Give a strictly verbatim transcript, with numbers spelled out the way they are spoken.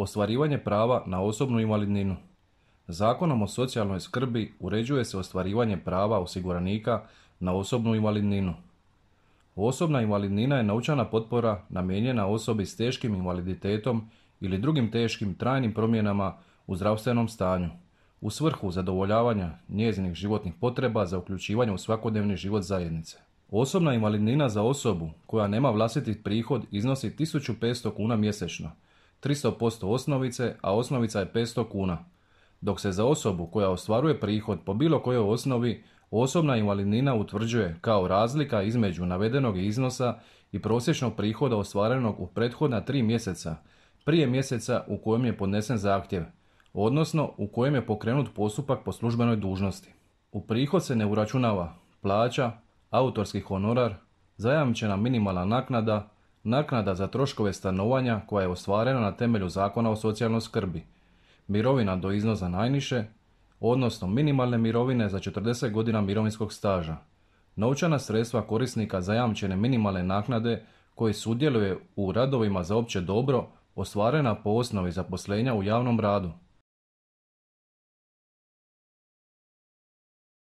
Ostvarivanje prava na osobnu invalidninu. Zakonom o socijalnoj skrbi uređuje se ostvarivanje prava osiguranika na osobnu invalidninu. Osobna invalidnina je novčana potpora namijenjena osobi s teškim invaliditetom ili drugim teškim trajnim promjenama u zdravstvenom stanju, u svrhu zadovoljavanja njezinih životnih potreba za uključivanje u svakodnevni život zajednice. Osobna invalidnina za osobu koja nema vlastiti prihod iznosi tisuću petsto kuna mjesečno, tristo posto osnovice, a osnovica je petsto kuna, dok se za osobu koja ostvaruje prihod po bilo kojoj osnovi osobna invalidnina utvrđuje kao razlika između navedenog iznosa i prosječnog prihoda ostvarenog u prethodna tri mjeseca prije mjeseca u kojem je podnesen zahtjev, odnosno u kojem je pokrenut postupak po službenoj dužnosti. U prihod se ne uračunava plaća, autorski honorar, zajamčena minimalna naknada, naknada za troškove stanovanja koja je ostvarena na temelju Zakona o socijalnoj skrbi, mirovina do iznosa najniže, odnosno minimalne mirovine za četrdeset godina mirovinskog staža, novčana sredstva korisnika zajamčene minimalne naknade koji sudjeluje u radovima za opće dobro ostvarena po osnovi zaposlenja u javnom radu,